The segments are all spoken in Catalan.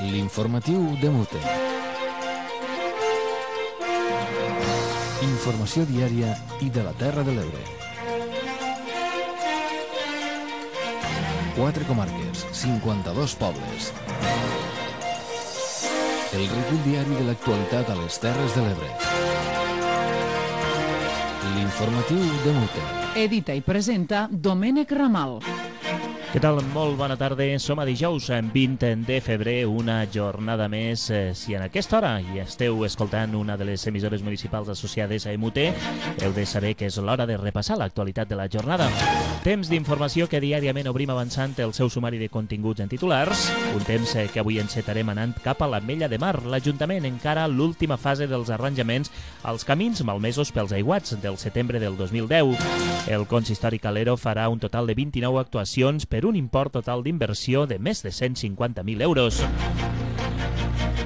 L'informatiu de Mute. Informació diària i de la Terra de l'Ebre. 4 comarques, 52 pobles. El recull diari de l'actualitat a les Terres de l'Ebre. L'informatiu de Mute. Edita i presenta Domènec Ramal. Què tal? Molt bona tarda. Som a dijous, 20 de febrer, una jornada més. Si en aquesta hora hi esteu escoltant una de les emissores municipals associades a MUT, heu de saber que és l'hora de repassar l'actualitat de la jornada. Temps d'informació que diàriament obrim avançant el seu sumari de continguts en titulars. Un temps que avui encetarem anant cap a l'Ametlla de Mar. L'Ajuntament encara l'última fase dels arranjaments als camins malmesos pels aiguats del setembre del 2010. El consistori Calero farà un total de 29 actuacions per un import total d'inversió de més de 150.000 euros.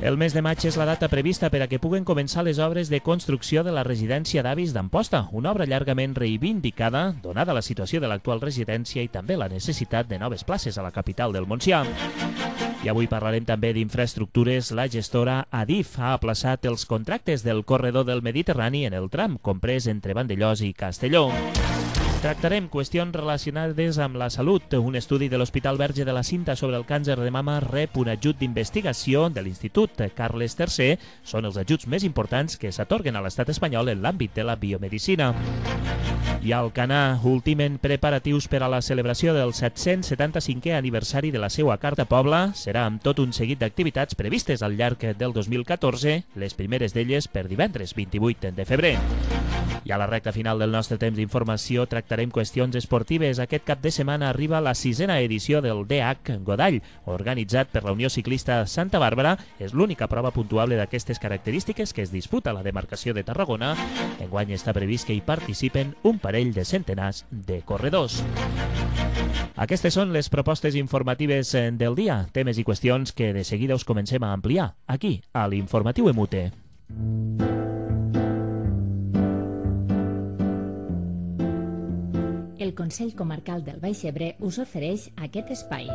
El mes de maig és la data prevista per a que puguen començar les obres de construcció de la residència d'avis d'Amposta, una obra llargament reivindicada, donada la situació de l'actual residència i també la necessitat de noves places a la capital del Montsià. I avui parlarem també d'infraestructures. La gestora Adif ha aplaçat els contractes del corredor del Mediterrani en el tram comprès entre Vandellòs i Castelló. Tractarem qüestions relacionades amb la salut. Un estudi de l'Hospital Verge de la Cinta sobre el càncer de mama rep un ajut d'investigació de l'Institut Carles III. Són els ajuts més importants que s'atorguen a l'estat espanyol en l'àmbit de la biomedicina. I a Alcanar ultimen preparatius per a la celebració del 775è aniversari de la seua Carta Pobla. Serà amb tot un seguit d'activitats previstes al llarg del 2014, les primeres d'elles per divendres 28 de febrer. I a la recta final del nostre temps d'informació tractarem qüestions esportives. Aquest cap de setmana arriba la 6a edició del DH Godall, organitzat per la Unió Ciclista Santa Bàrbara. És l'única prova puntuable d'aquestes característiques que es disputa a la demarcació de Tarragona. Enguany està previst que hi participen un parell de centenars de corredors. Aquestes són les propostes informatives del dia, temes i qüestions que de seguida us comencem a ampliar aquí, a l'Informatiu Emute. El Consell Comarcal del Baix Ebre us ofereix aquest espai.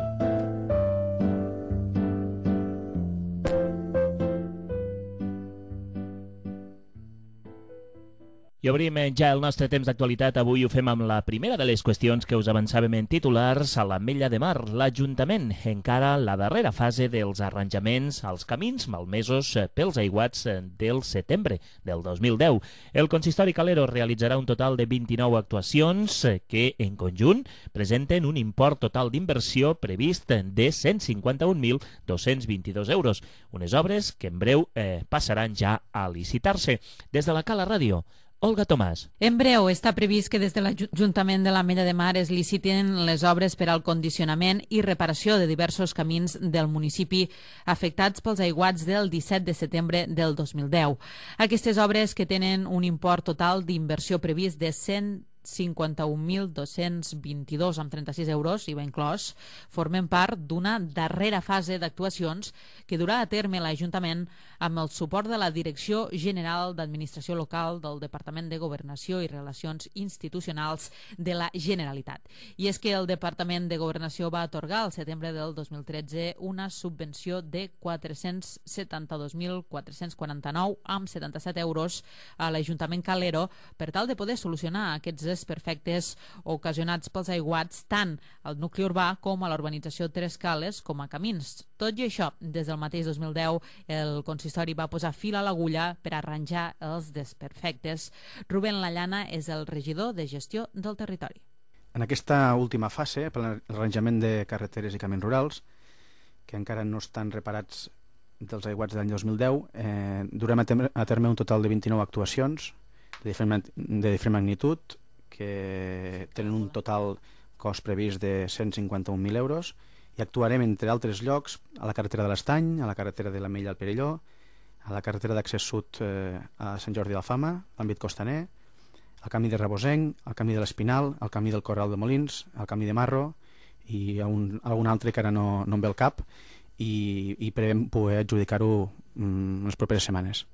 I obrim ja el nostre temps d'actualitat. Avui ho fem amb la primera de les qüestions que us avançàvem en titulars. A l'Ametlla de Mar, l'Ajuntament encara la darrera fase dels arranjaments als camins malmesos pels aiguats del setembre del 2010. El consistori Calero realitzarà un total de 29 actuacions que, en conjunt, presenten un import total d'inversió previst de 151.222 euros. Unes obres que en breu passaran ja a licitar-se. Des de la Cala Ràdio, Olga Tomàs. En breu està previst que des de l'Ajuntament de l'Ametlla de Mar es liciten les obres per al condicionament i reparació de diversos camins del municipi afectats pels aiguats del 17 de setembre del 2010. Aquestes obres, que tenen un import total d'inversió previst de 151.222,36 euros, IVA inclòs, formen part d'una darrera fase d'actuacions que durà a terme l'Ajuntament amb el suport de la Direcció General d'Administració Local del Departament de Governació i Relacions Institucionals de la Generalitat. I és que el Departament de Governació va atorgar al setembre del 2013 una subvenció de 472.449,77 euros a l'Ajuntament Calero per tal de poder solucionar aquests desperfectes ocasionats pels aiguats tant al nucli urbà com a l'urbanització Tres Cales com a camins. Tot i això, des del mateix 2010, el consistori va posar fil a l'agulla per arranjar els desperfectes. Rubén Lallana és el regidor de gestió del territori. En aquesta última fase, per l'arranjament de carreteres i camins rurals, que encara no estan reparats dels aiguats de l'any 2010, durem a terme un total de 29 actuacions de diferent magnitud, que tenen un total cost previst de 151.000 euros, i actuarem, entre altres llocs, a la carretera de l'Estany, a la carretera de l'Ametlla al Perelló, a la carretera d'accés sud a Sant Jordi d'Alfama, l'àmbit costaner, al camí de Rebosenc, al camí de l'Espinal, al camí del Corral de Molins, al camí de Marro i algun altre que ara no em ve al cap, i prevem poder adjudicar-ho en les properes setmanes.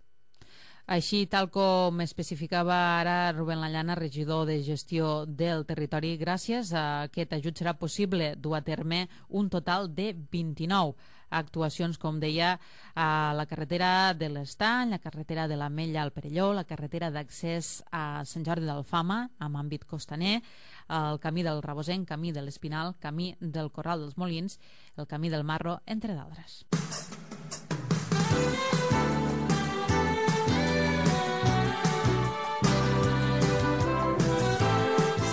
Així, tal com especificava ara Rubén Lallana, regidor de gestió del territori, gràcies a aquest ajut serà possible dur a terme un total de 29 actuacions, com deia, a la carretera de l'Estany, la carretera de l'Ametlla al Perelló, la carretera d'accés a Sant Jordi d'Alfama, amb àmbit costaner, el camí del Rabosenc, camí de l'Espinal, camí del Corral dels Molins, el camí del Marro, entre d'altres.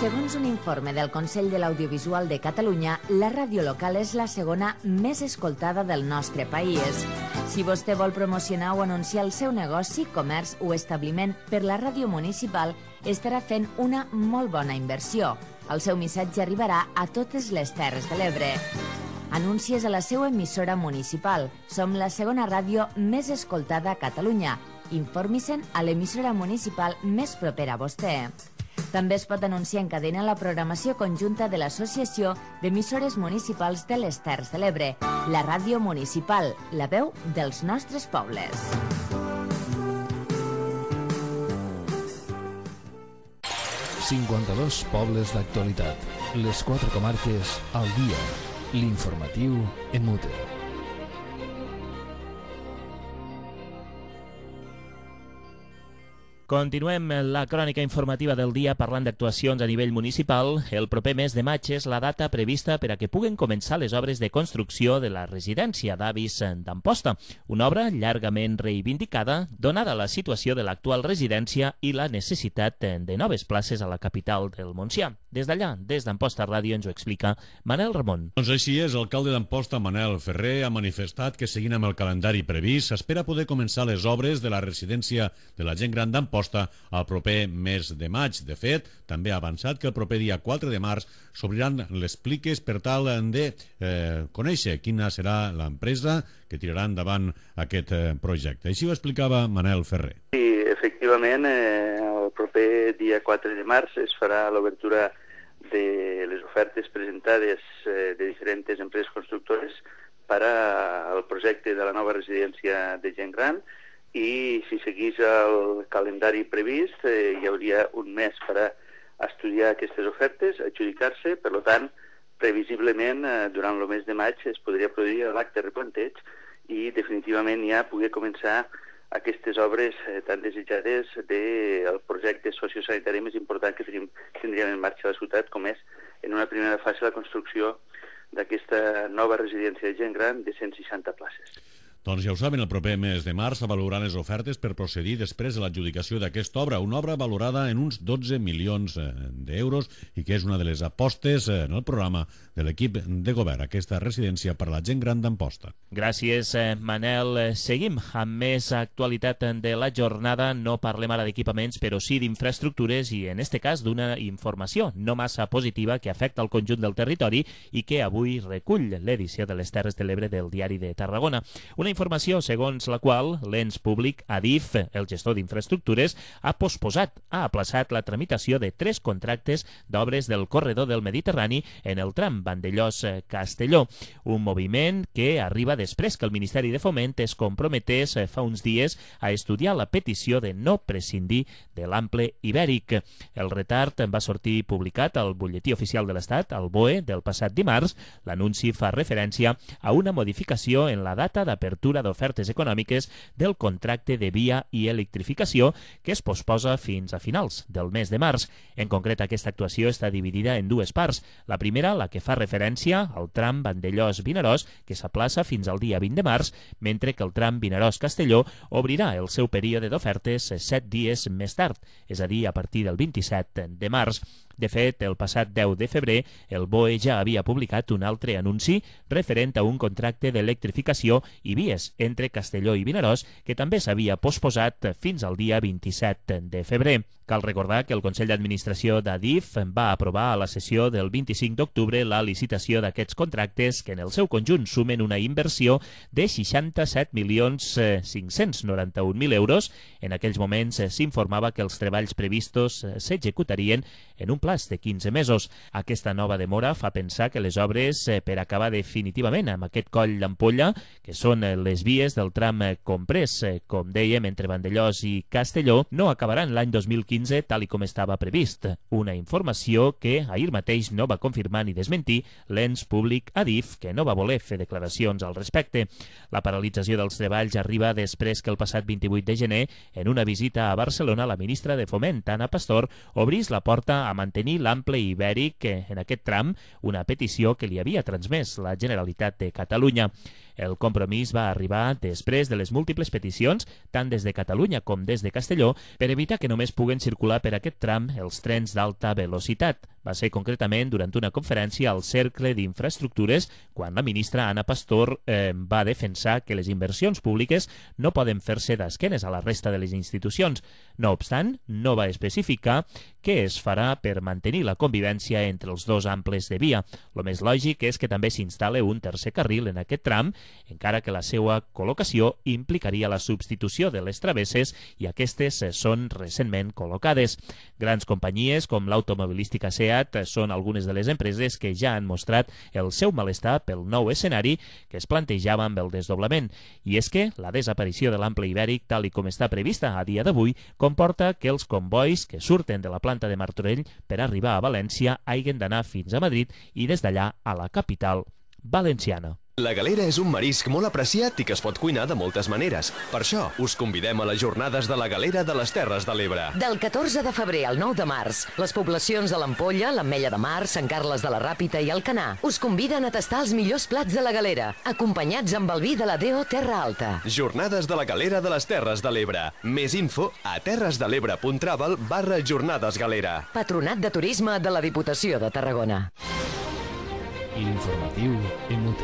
Segons un informe del Consell de l'Audiovisual de Catalunya, la ràdio local és la segona més escoltada del nostre país. Si vostè vol promocionar o anunciar el seu negoci, comerç o establiment per la ràdio municipal, estarà fent una molt bona inversió. El seu missatge arribarà a totes les Terres de l'Ebre. Anuncies a la seva emissora municipal. Som la segona ràdio més escoltada a Catalunya. Informi-se'n a l'emissora municipal més propera a vostè. També es pot anunciar en cadena la programació conjunta de l'Associació d'Emissores Municipals de les Terres de l'Ebre, la ràdio municipal, la veu dels nostres pobles. ...52 pobles d'actualitat. Les 4 comarques al dia. L'informatiu en Mute. Continuem la crònica informativa del dia parlant d'actuacions a nivell municipal. El proper mes de maig és la data prevista per a que puguen començar les obres de construcció de la residència d'avis d'Amposta, una obra llargament reivindicada donada la situació de l'actual residència i la necessitat de noves places a la capital del Montsià. Des d'allà, des d'Amposta Ràdio, ens ho explica Manel Ramon. Doncs així és, l'alcalde d'Amposta, Manel Ferrer, ha manifestat que seguint amb el calendari previst s'espera poder començar les obres de la residència de la gent gran d'Amposta al proper mes de maig. De fet, també ha avançat que el proper dia 4 de març s'obriran les pliques per tal de conèixer quina serà l'empresa que tirarà endavant aquest projecte. Així ho explicava Manel Ferrer. Sí, efectivament, el proper dia 4 de març es farà l'obertura de les ofertes presentades de diferents empreses constructores per al projecte de la nova residència de gent gran, i si seguís el calendari previst hi hauria un mes per a estudiar aquestes ofertes, adjudicar-se. Per tant, previsiblement durant el mes de maig es podria produir l'acte de replanteig i definitivament ja poder començar aquestes obres tan desitjades del projecte sociosanitari més important que tindríem en marxa a la ciutat, com és en una primera fase la construcció d'aquesta nova residència de gent gran de 160 places. Doncs ja ho saben, el proper mes de març s'avaluaran les ofertes per procedir després de l'adjudicació d'aquesta obra, una obra valorada en uns 12 milions d'euros i que és una de les apostes en el programa de l'equip de govern, aquesta residència per a la gent gran d'Amposta. Gràcies, Manel. Seguim amb més actualitat de la jornada. No parlem ara d'equipaments, però sí d'infraestructures i, en este cas, d'una informació no massa positiva que afecta el conjunt del territori i que avui recull l'edició de les Terres de l'Ebre del Diari de Tarragona. Una informació segons la qual l'ens públic Adif, el gestor d'infraestructures, ha aplaçat la tramitació de 3 contractes d'obres del corredor del Mediterrani en el tram Vandellòs-Castelló, un moviment que arriba després que el Ministeri de Foment es comprometés fa uns dies a estudiar la petició de no prescindir de l'ample ibèric. El retard va sortir publicat al Butlletí Oficial de l'Estat, al BOE, del passat dimarts. L'anunci fa referència a una modificació en la data d'apertura d'ofertes econòmiques del contracte de via i electrificació que es posposa fins a finals del mes de març. En concret, aquesta actuació està dividida en 2 parts. La primera, la que fa referència al tram Vandellòs-Vinaròs, que s'aplaça fins al dia 20 de març, mentre que el tram Vinaròs-Castelló obrirà el seu període d'ofertes 7 dies més tard, és a dir, a partir del 27 de març. De fet, el passat 10 de febrer, el BOE ja havia publicat un altre anunci referent a un contracte d'electrificació i vies entre Castelló i Vinaròs, que també s'havia posposat fins al dia 27 de febrer. Cal recordar que el Consell d'Administració d'Adif va aprovar a la sessió del 25 d'octubre la licitació d'aquests contractes que en el seu conjunt sumen una inversió de 67.591.000 euros. En aquells moments s'informava que els treballs previstos s'executarien en un plaç de 15 mesos. Aquesta nova demora fa pensar que les obres per acabar definitivament amb aquest coll d'ampolla, que són les vies del tram comprès, com dèiem, entre Vandellòs i Castelló, no acabaran l'any 2015 tal i com estava previst. Una informació que ahir mateix no va confirmar ni desmentir l'ens públic Adif, que no va voler fer declaracions al respecte. La paralització dels treballs arriba després que el passat 28 de gener, en una visita a Barcelona, la ministra de Foment, Ana Pastor, obrís la porta a mantenir l'ample ibèric en aquest tram, una petició que li havia transmès la Generalitat de Catalunya. El compromís va arribar després de les múltiples peticions, tant des de Catalunya com des de Castelló, per evitar que només puguen circular per aquest tram els trens d'alta velocitat. Va ser concretament durant una conferència al Cercle d'Infraestructures quan la ministra Ana Pastor va defensar que les inversions públiques no poden fer-se d'esquenes a la resta de les institucions. No obstant, no va especificar què es farà per mantenir la convivència entre els dos amples de via. Lo més lògic és que també s'instal·le un tercer carril en aquest tram, encara que la seva col·locació implicaria la substitució de les travesses i aquestes són recentment col·locades. Grans companyies com l'automobilística SEAT són algunes de les empreses que ja han mostrat el seu malestar pel nou escenari que es plantejava amb el desdoblament. I és que la desaparició de l'ample ibèric, tal i com està prevista a dia d'avui, comporta que els convois que surten de la planta de Martorell per arribar a València hagin d'anar fins a Madrid i des d'allà a la capital valenciana. La galera és un marisc molt apreciat i que es pot cuinar de moltes maneres. Per això, us convidem a les jornades de la galera de les Terres de l'Ebre. Del 14 de febrer al 9 de març, les poblacions de l'Ampolla, l'Ametlla de Mar, Sant Carles de la Ràpita i Alcanar us conviden a tastar els millors plats de la galera, acompanyats amb el vi de la DO Terra Alta. Jornades de la galera de les Terres de l'Ebre. Més info a terresdelebre.travel/jornadesgalera. Patronat de Turisme de la Diputació de Tarragona. L'informatiu MUT.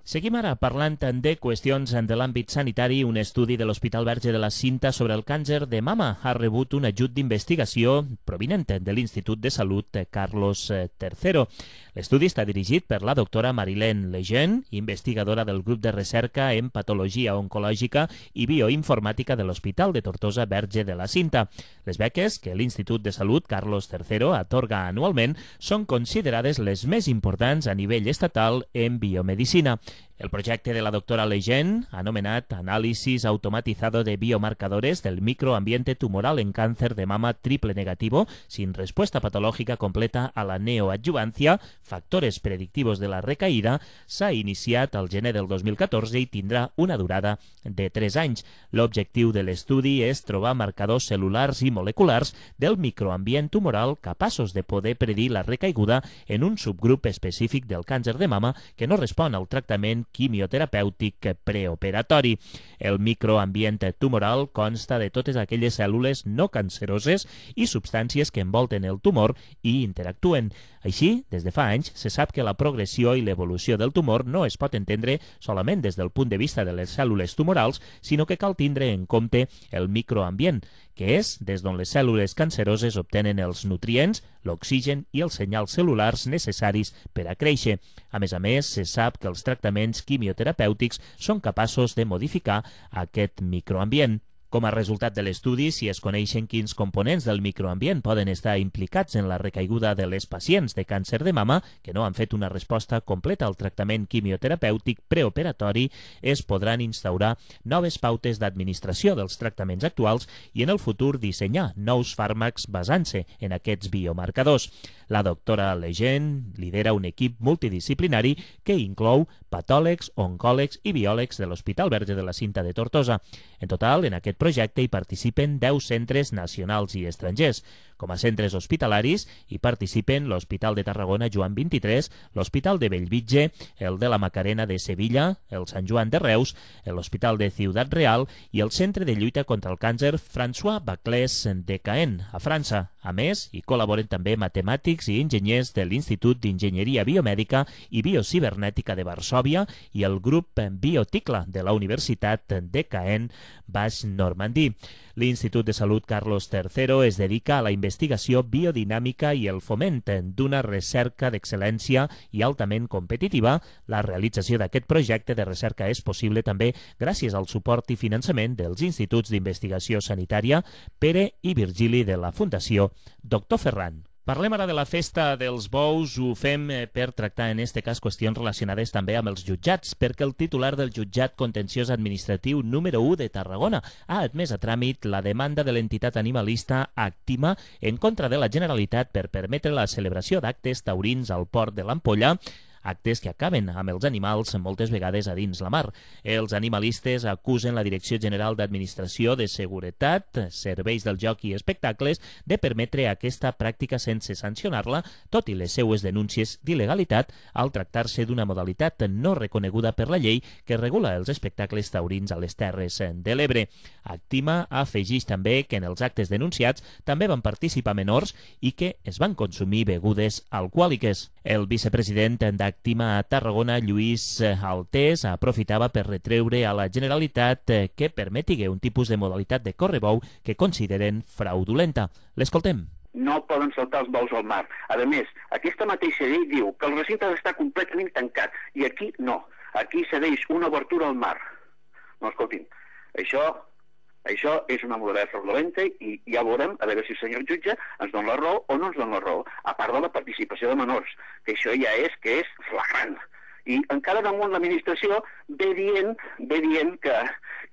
Seguim ara parlant de qüestions de l'àmbit sanitari. Un estudi de l'Hospital Verge de la Cinta sobre el càncer de mama ha rebut un ajut d'investigació provinent de l'Institut de Salut Carlos III. L'estudi està dirigit per la doctora Marilène Lejeune, investigadora del grup de recerca en patologia oncològica i bioinformàtica de l'Hospital de Tortosa Verge de la Cinta. Les beques que l'Institut de Salut Carlos III atorga anualment són considerades les més importants a nivell estatal en biomedicina. El projecte de la doctora Lejeune, anomenat Análisis automatizado de biomarcadores del microambiente tumoral en cáncer de mama triple negativo sin respuesta patológica completa a la neoadjuvancia, factores predictivos de la recaïda, s'ha iniciat al gener del 2014 i tindrà una durada de 3 anys. L'objectiu de l'estudi és trobar marcadors cel·lulars i moleculars del microambient tumoral capaços de poder predir la recaiguda en un subgrup específic del càncer de mama que no respon al tractament quimioterapèutic preoperatori. El microambient tumoral consta de totes aquelles cèl·lules no canceroses i substàncies que envolten el tumor i interactuen. Així, des de fa anys, se sap que la progressió i l'evolució del tumor no es pot entendre solament des del punt de vista de les cèl·lules tumorals, sinó que cal tindre en compte el microambient, que és des d'on les cèl·lules canceroses obtenen els nutrients, l'oxigen i els senyals cel·lulars necessaris per a créixer. A més, se sap que els tractaments quimioterapèutics són capaços de modificar aquest microambient. Com a resultat de l'estudi, si es coneixen quins components del microambient poden estar implicats en la recaiguda de les pacients de càncer de mama que no han fet una resposta completa al tractament quimioterapèutic preoperatori, es podran instaurar noves pautes d'administració dels tractaments actuals i en el futur dissenyar nous fàrmacs basant-se en aquests biomarcadors. La doctora Lejeune lidera un equip multidisciplinari que inclou patòlegs, oncòlegs i biòlegs de l'Hospital Verge de la Cinta de Tortosa. En total, en aquest projecte hi participen 10 centres nacionals i estrangers. Com a centres hospitalaris hi participen l'Hospital de Tarragona Joan 23, l'Hospital de Bellvitge, el de la Macarena de Sevilla, el Sant Joan de Reus, l'Hospital de Ciutat Real i el Centre de Lluita contra el Càncer François Baclès de Caen, a França. A més, hi col·laboren també matemàtics i enginyers de l'Institut d'Enginyeria Biomèdica i Biocibernètica de Varsòvia i el grup Bioticla de la Universitat de Caen, Baix Nord. Normandí. L'Institut de Salut Carlos III es dedica a la investigació biodinàmica i el foment d'una recerca d'excel·lència i altament competitiva. La realització d'aquest projecte de recerca és possible també gràcies al suport i finançament dels Instituts d'Investigació Sanitària Pere i Virgili de la Fundació Dr. Ferran. Parlem ara de la festa dels bous. Ho fem per tractar en este cas qüestions relacionades també amb els jutjats, perquè el titular del jutjat contenciós administratiu número 1 de Tarragona ha admès a tràmit la demanda de l'entitat animalista Actima en contra de la Generalitat per permetre la celebració d'actes taurins al port de l'Ampolla, actes que acaben amb els animals moltes vegades a dins la mar. Els animalistes acusen la Direcció General d'Administració de Seguretat, Serveis del Joc i Espectacles de permetre aquesta pràctica sense sancionar-la, tot i les seues denúncies d'il·legalitat al tractar-se d'una modalitat no reconeguda per la llei que regula els espectacles taurins a les Terres de l'Ebre. Actima afegeix també que en els actes denunciats també van participar menors i que es van consumir begudes alcohòliques. El vicepresident d'Actima a Tarragona, Lluís Altés, aprofitava per retreure a la Generalitat que permeti un tipus de modalitat de correbou que consideren fraudulenta. L'escoltem. No poden saltar els bous al mar. A més, aquesta mateixa llei diu que el recinte ha d'estar completament tancat, i aquí no. Aquí cedeix una obertura al mar. No, escoltin, això és una modalitat fraudulenta i ja veurem a veure si el senyor jutge ens dona la raó o no ens dona la raó, a part de la participació de menors, que això ja és flagrant. I encara damunt l'administració ve dient que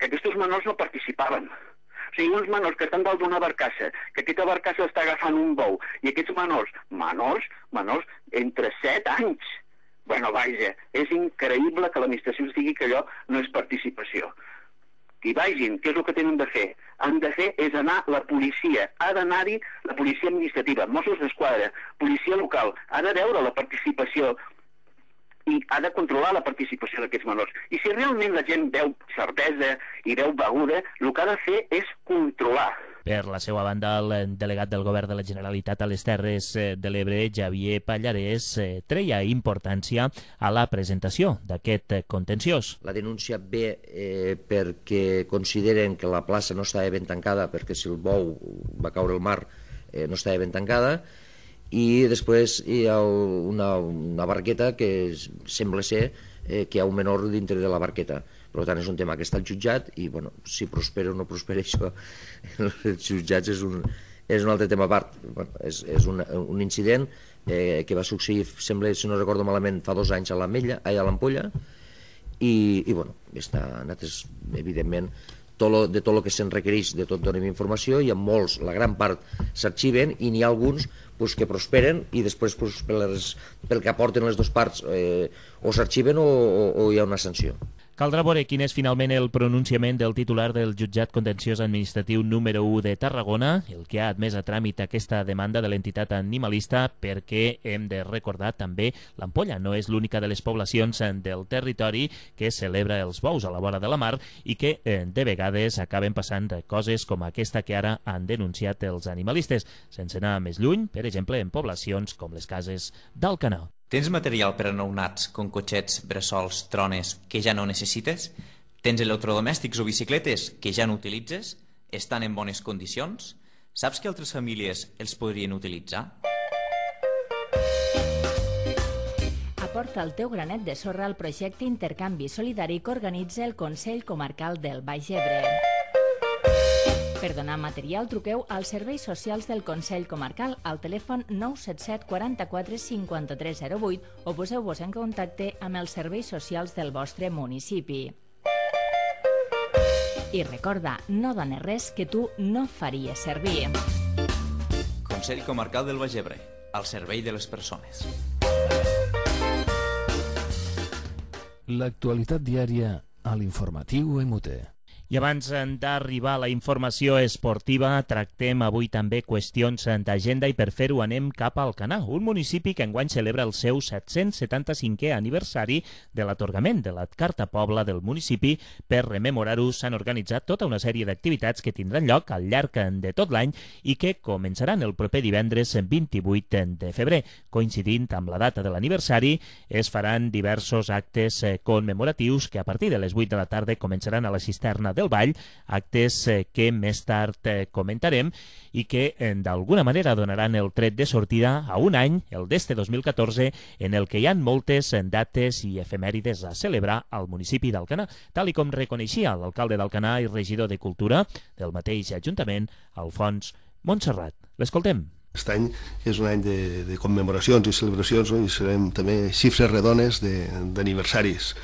aquests menors no participaven. O sigui, uns menors que estan dalt d'una barcassa, que aquesta barcassa està agafant un bou, i aquests menors entre 7 anys. Bueno, vaja, és increïble que l'administració ens digui que allò no és participació. Que hi vagin, què és el que tenen de fer? Han de fer és anar la policia, ha d'anar-hi la policia administrativa, Mossos d'Esquadra, policia local, ha de veure la participació i ha de controlar la participació d'aquests menors. I si realment la gent veu cervesa i veu beguda, el que ha de fer és controlar. Per la seva banda, el delegat del Govern de la Generalitat a les Terres de l'Ebre, Javier Pallarès, treia importància a la presentació d'aquest contenciós. La denúncia ve perquè consideren que la plaça no estava ben tancada, perquè si el bou va caure al mar no estava ben tancada, i després hi ha una barqueta que sembla ser que hi ha un menor dintre de la barqueta. Per tant, és un tema que està al jutjat i, bueno, si prospera o no prospera això, els jutjats és un altre tema a part. És un incident que va succeir, sembla, si no recordo malament, fa 2 anys a l'Ampolla i, bueno, nosaltres, evidentment, de tot el que se'n requereix, de tot donem informació, i en molts, la gran part, s'arxiven i n'hi ha alguns que prosperen i després pel que aporten les dues parts o s'arxiven o hi ha una sanció. Caldrà veure quin és finalment el pronunciament del titular del jutjat contenciós administratiu número 1 de Tarragona, el que ha admès a tràmit aquesta demanda de l'entitat animalista, perquè hem de recordar també l'Ampolla no és l'única de les poblacions del territori que celebra els bous a la vora de la mar i que de vegades acaben passant coses com aquesta que ara han denunciat els animalistes, sense anar més lluny, per exemple, en poblacions com les Cases d'Alcanar. Tens material per a nounats, com cotxets, bressols, trones, que ja no necessites? Tens electrodomèstics o bicicletes que ja no utilitzes? Estan en bones condicions? Saps que altres famílies els podrien utilitzar? Aporta el teu granet de sorra al projecte Intercanvi Solidari que organitza el Consell Comarcal del Baix Ebre. Per donar material, truqueu als serveis socials del Consell Comarcal al telèfon 977 44 53 08 o poseu-vos en contacte amb els serveis socials del vostre municipi. I recorda, no dones res que tu no faries servir. Consell Comarcal del Baix Ebre, al servei de les persones. L'actualitat diària a l'informatiu MUT. I abans d'arribar a la informació esportiva, tractem avui també qüestions d'agenda i per fer-ho anem cap a Alcanar, un municipi que enguany celebra el seu 775è aniversari de l'atorgament de la Carta Pobla del municipi. Per rememorar-ho s'han organitzat tota una sèrie d'activitats que tindran lloc al llarg de tot l'any i que començaran el proper divendres 28 de febrer. Coincidint amb la data de l'aniversari, es faran diversos actes commemoratius que a partir de les 8 de la tarda començaran a la cisterna del del Vall, actes que més tard comentarem i que d'alguna manera donaran el tret de sortida a un any, el d'este 2014, en el que hi ha moltes dates i efemèrides a celebrar al municipi d'Alcanar, tal i com reconeixia l'alcalde d'Alcanar i regidor de Cultura del mateix Ajuntament, Alfons Montserrat. L'escoltem. Aquest any és un any de commemoracions i celebracions, no? I serem també xifres redones d'aniversaris.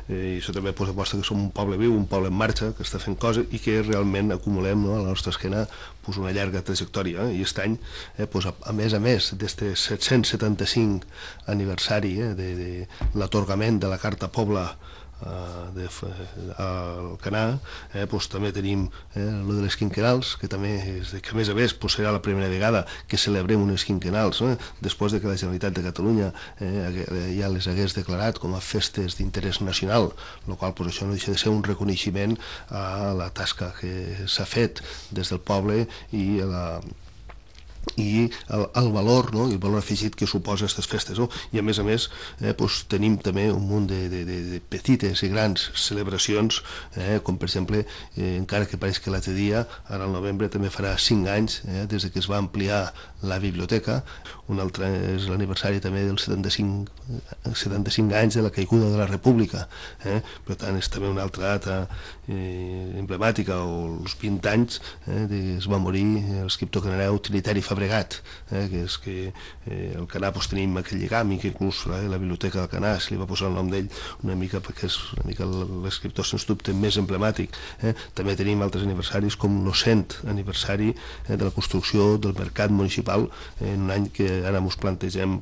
I això també demostra que som un poble viu, un poble en marxa, que està fent coses i que realment acumulem, no, a la nostra esquena una llarga trajectòria. I aquest any, a més d'este 775 aniversari de l'atorgament de la Carta Pobla al Canà, també tenim el de les quinquenals, que també que a més serà la primera vegada que celebrem unes quinquenals, després de que la Generalitat de Catalunya ja les hagués declarat com a festes d'interès nacional, el qual això no deixa de ser un reconeixement a la tasca que s'ha fet des del poble i el valor, no? I el valor afegit que suposa aquestes festes, no? I a més tenim també un munt de petites i grans celebracions, com per exemple, encara que pareix que l'altre dia, ara al novembre també farà 5 anys des que es va ampliar la biblioteca. Un altre és l'aniversari també dels 75 anys de la caiguda de la República, per tant és també una altra data emblemàtica, o els 20 anys es va morir l'escriptor canareu Trinitari Fabregat, que és que al Canà tenim aquell lligam, i que inclús la biblioteca del Canà se li va posar el nom d'ell una mica perquè és una mica l'escriptor sens dubte més emblemàtic. També tenim altres aniversaris com el 100 aniversari de la construcció del mercat municipal, en un any que ara ens plantegem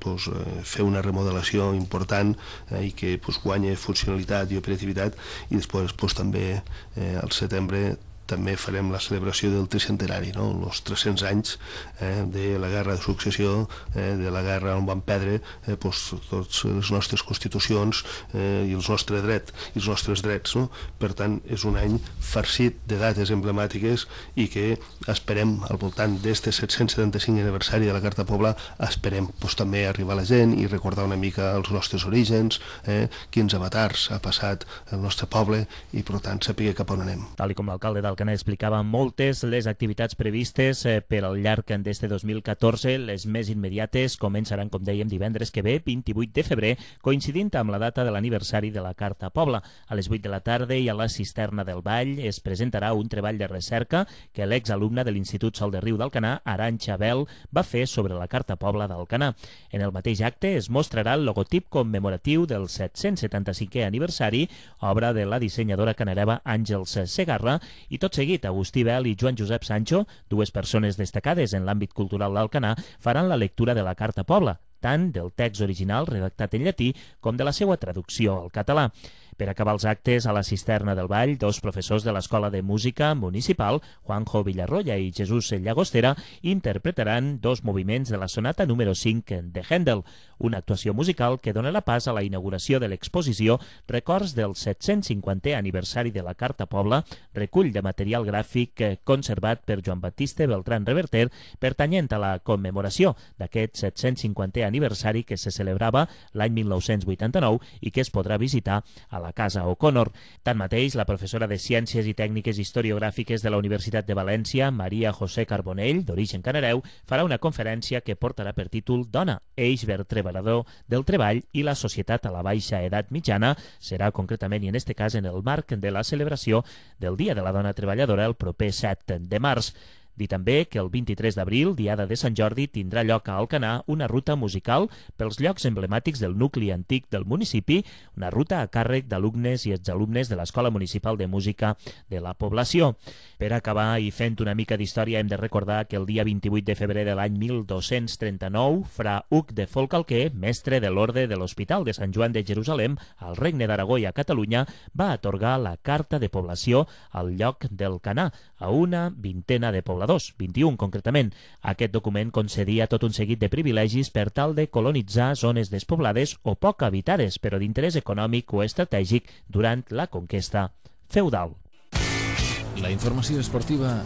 fer una remodelació important i que guanya funcionalitat i operativitat, i després també al setembre també farem la celebració del tricentenari, els 300 anys de la guerra de successió, de la guerra on van perdre totes les nostres constitucions i els nostres drets. Per tant, és un any farcit de dates emblemàtiques i que esperem, al voltant d'este 775 aniversari de la Carta Pobla, esperem també arribar a la gent i recordar una mica els nostres orígens, quins avatars ha passat el nostre poble i, per tant, saber cap on anem. Tal com l'alcalde d'Alcanar explicava, moltes les activitats previstes per al llarg d'este 2014. Les més immediates començaran, com dèiem, divendres que ve, 28 de febrer, coincidint amb la data de l'aniversari de la Carta Pobla. A les 8 de la tarda i a la Cisterna del Vall es presentarà un treball de recerca que l'exalumne de l'Institut Sol de Riu d'Alcanar, Arantxa Bel, va fer sobre la Carta Pobla d'Alcanar. En el mateix acte es mostrarà el logotip commemoratiu del 775è aniversari, obra de la dissenyadora canareva Àngels Segarra, i tot seguit Agustí Bel i Joan Josep Sancho, dues persones destacades en l'àmbit cultural d'Alcanar, faran la lectura de la Carta Pobla, tant del text original redactat en llatí com de la seva traducció al català. Per acabar els actes, a la Cisterna del Vall, dos professors de l'Escola de Música Municipal, Juanjo Villarroya i Jesús Llagostera, interpretaran dos moviments de la sonata número 5 de Händel, una actuació musical que donarà pas a la inauguració de l'exposició Records del 750è aniversari de la Carta Pobla, recull de material gràfic conservat per Joan Batiste Beltrán Reverter, pertanyent a la commemoració d'aquest 750è aniversari que se celebrava l'any 1989 i que es podrà visitar a la Casa O'Connor. Tanmateix, la professora de Ciències i Tècniques Historiogràfiques de la Universitat de València, Maria José Carbonell, d'origen canareu, farà una conferència que portarà per títol Dona, eix vertebrador del treball i la societat a la baixa edat mitjana. Serà concretament, i en este cas, en el marc de la celebració del Dia de la Dona Treballadora el proper 7 de març. Dir també que el 23 d'abril, diada de Sant Jordi, tindrà lloc a Alcanar una ruta musical pels llocs emblemàtics del nucli antic del municipi, una ruta a càrrec d'alumnes i exalumnes de l'Escola Municipal de Música de la població. Per acabar, i fent una mica d'història, hem de recordar que el dia 28 de febrer de l'any 1239, fra Hug de Folcalquer, mestre de l'Orde de l'Hospital de Sant Joan de Jerusalem, al Regne d'Aragó i a Catalunya, va atorgar la Carta de Població al lloc del Canà, a una vintena de pobladors, 21 concretament. Aquest document concedia tot un seguit de privilegis per tal de colonitzar zones despoblades o poc habitades, però d'interès econòmic o estratègic durant la conquesta feudal. La informació esportiva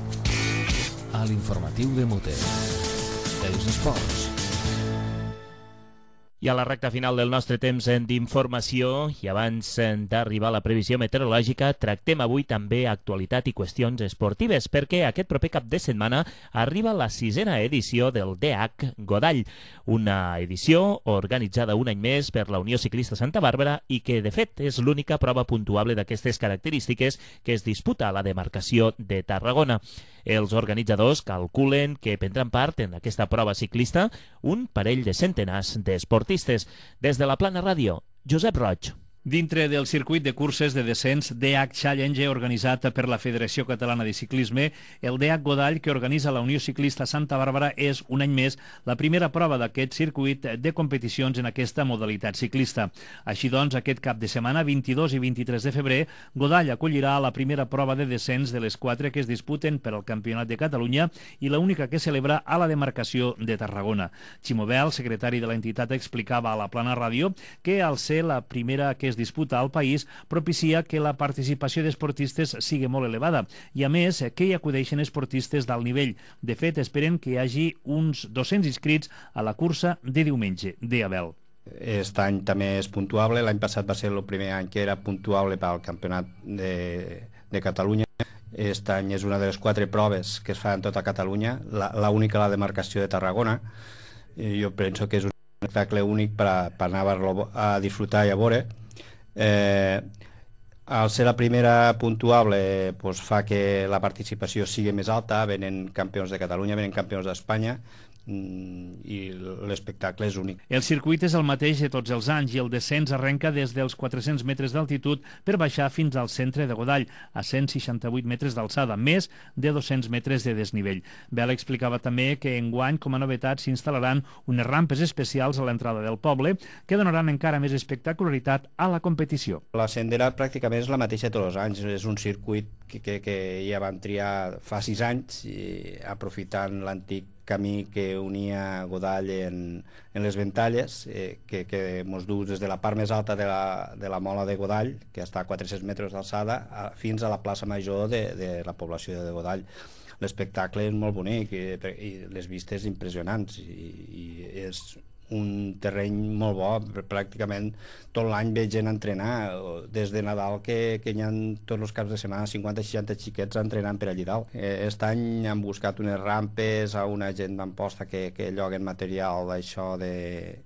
a l'informatiu de Mute. Els esports. I a la recta final del nostre temps d'informació i abans d'arribar a la previsió meteorològica, tractem avui també actualitat i qüestions esportives, perquè aquest proper cap de setmana arriba la 6a edició del DH Godall, una edició organitzada un any més per la Unió Ciclista Santa Bàrbara i que, de fet, és l'única prova puntuable d'aquestes característiques que es disputa a la demarcació de Tarragona. Els organitzadors calculen que prendran part en aquesta prova ciclista un parell de centenars d'esportistes. Des de la Plana Ràdio, Josep Roig. Dintre del circuit de curses de descens DH Challenge organitzat per la Federació Catalana de Ciclisme, el DH Godall que organitza la Unió Ciclista Santa Bàrbara és un any més la primera prova d'aquest circuit de competicions en aquesta modalitat ciclista. Així doncs, aquest cap de setmana, 22 i 23 de febrer, Godall acollirà la primera prova de descens de les 4 que es disputen per al Campionat de Catalunya i l'única que celebra a la demarcació de Tarragona. Ximo Bel, secretari de l'entitat, explicava a la Plana Ràdio que al ser la primera que es disputa al país propicia que la participació d'esportistes sigui molt elevada i, a més, que hi acudeixen esportistes d'alt nivell. De fet, esperen que hi hagi uns 200 inscrits a la cursa de diumenge, de Abel. Aquest any també és puntuable. L'any passat va ser el primer any que era puntuable pel Campionat de Catalunya. Aquest any és una de les 4 proves que es fan en tota Catalunya, l'única a la demarcació de Tarragona. Jo penso que és un espectacle únic per anar a disfrutar i a veure. Al ser la primera puntuable fa que la participació sigui més alta, venen campions de Catalunya, venen campions d'Espanya i l'espectacle és únic. El circuit és el mateix de tots els anys i el descens arrenca des dels 400 metres d'altitud per baixar fins al centre de Godall, a 168 metres d'alçada, més de 200 metres de desnivell. Bel explicava també que enguany, com a novetat, s'instal·laran unes rampes especials a l'entrada del poble que donaran encara més espectacularitat a la competició. La sendera pràcticament és la mateixa tots els anys, és un circuit que ja van triar fa 6 anys, aprofitant l'antic camí que unia Godall en les Ventalles, que ens du des de la part més alta de la mola de Godall, que està a 400 metres d'alçada, fins a la plaça major de la població de Godall. L'espectacle és molt bonic i les vistes impressionants i és un terreny molt bo. Pràcticament tot l'any veig gent entrenar, des de Nadal que hi ha tots els caps de setmana 50-60 xiquets entrenant per allí dalt. Aquest any han buscat unes rampes a una gent d'Amposta que lloguen material d'això, de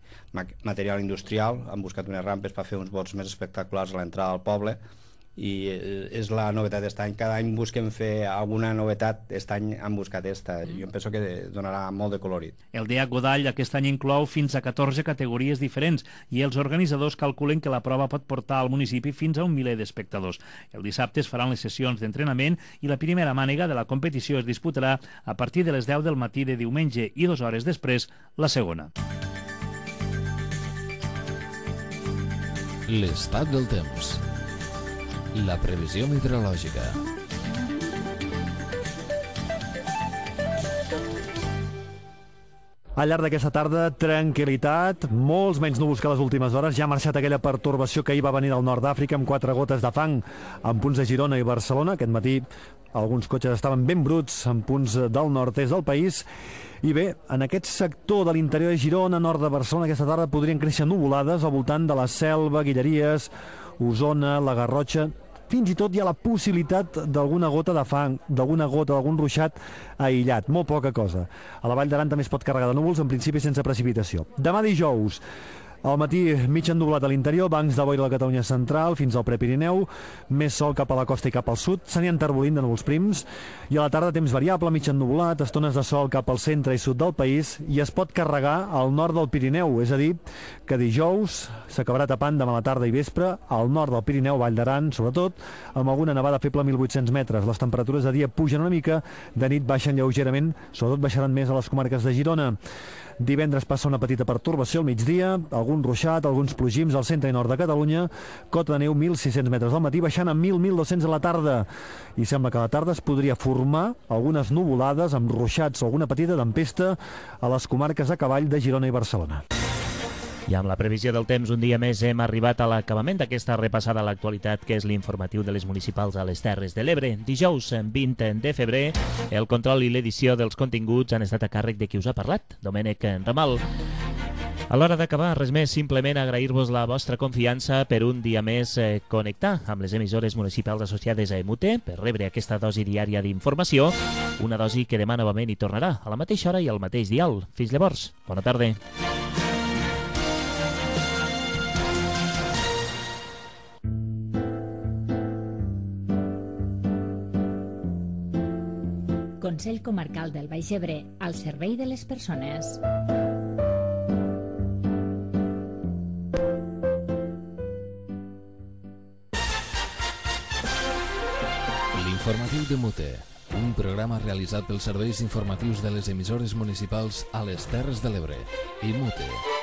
material industrial, han buscat unes rampes per fer uns bots més espectaculars a l'entrada del poble i és la novetat d'aquest any. Cada any busquem fer alguna novetat, aquest any han buscat aquesta. Jo penso que donarà molt de colorit. El DH Godall aquest any inclou fins a 14 categories diferents i els organitzadors calculen que la prova pot portar al municipi fins a 1 miler d'espectadors. El dissabte es faran les sessions d'entrenament i la primera mànega de la competició es disputarà a partir de les 10 del matí de diumenge i 2 hores després la segona. L'estat del temps. La previsió meteorològica. Al llarg d'aquesta tarda, tranquil·litat, molts menys núvols que les últimes hores. Ja ha marxat aquella pertorbació que ahir va venir del nord d'Àfrica amb 4 gotes de fang en punts de Girona i Barcelona. Aquest matí alguns cotxes estaven ben bruts en punts del nord-est del país. I bé, en aquest sector de l'interior de Girona, nord de Barcelona, aquesta tarda podrien créixer nuvolades al voltant de la Selva, Guilleries, Osona, la Garrotxa. Fins i tot hi ha la possibilitat d'alguna gota de fang, d'algun ruixat aïllat, molt poca cosa. A la Vall d'Aran també es pot carregar de núvols, en principi sense precipitació. Demà dijous, al matí mig ennublat a l'interior, bancs de boira a la Catalunya central fins al Prepirineu, més sol cap a la costa i cap al sud, s'anien enterbolint de núvols prims, i a la tarda temps variable, mig ennublat, estones de sol cap al centre i sud del país, i es pot carregar al nord del Pirineu, és a dir, que dijous s'acabarà tapant demà a la tarda i vespre al nord del Pirineu, Vall d'Aran, sobretot, amb alguna nevada feble a 1.800 metres. Les temperatures de dia pugen una mica, de nit baixen lleugerament, sobretot baixaran més a les comarques de Girona. Divendres passa una petita pertorbació al migdia, algun ruixat, alguns plogims al centre i nord de Catalunya, cota de neu 1.600 metres al matí, baixant a 1.200 a la tarda. I sembla que a la tarda es podria formar algunes nuvolades amb ruixats o alguna petita tempesta a les comarques a cavall de Girona i Barcelona. I amb la previsió del temps, un dia més hem arribat a l'acabament d'aquesta repassada a l'actualitat, que és l'informatiu de les municipals a les Terres de l'Ebre. Dijous, 20 de febrer, el control i l'edició dels continguts han estat a càrrec de qui us ha parlat, Domènec Ramal. A l'hora d'acabar, res més, simplement agrair-vos la vostra confiança per un dia més connectar amb les emissores municipals associades a EMUT per rebre aquesta dosi diària d'informació, una dosi que demà novament hi tornarà a la mateixa hora i al mateix dial. Fins llavors, bona tarda. Consell Comarcal del Baix Ebre, al servei de les persones. L'informatiu de Mute, un programa realitzat pels serveis informatius de les emissores municipals a les Terres de l'Ebre. I Mute.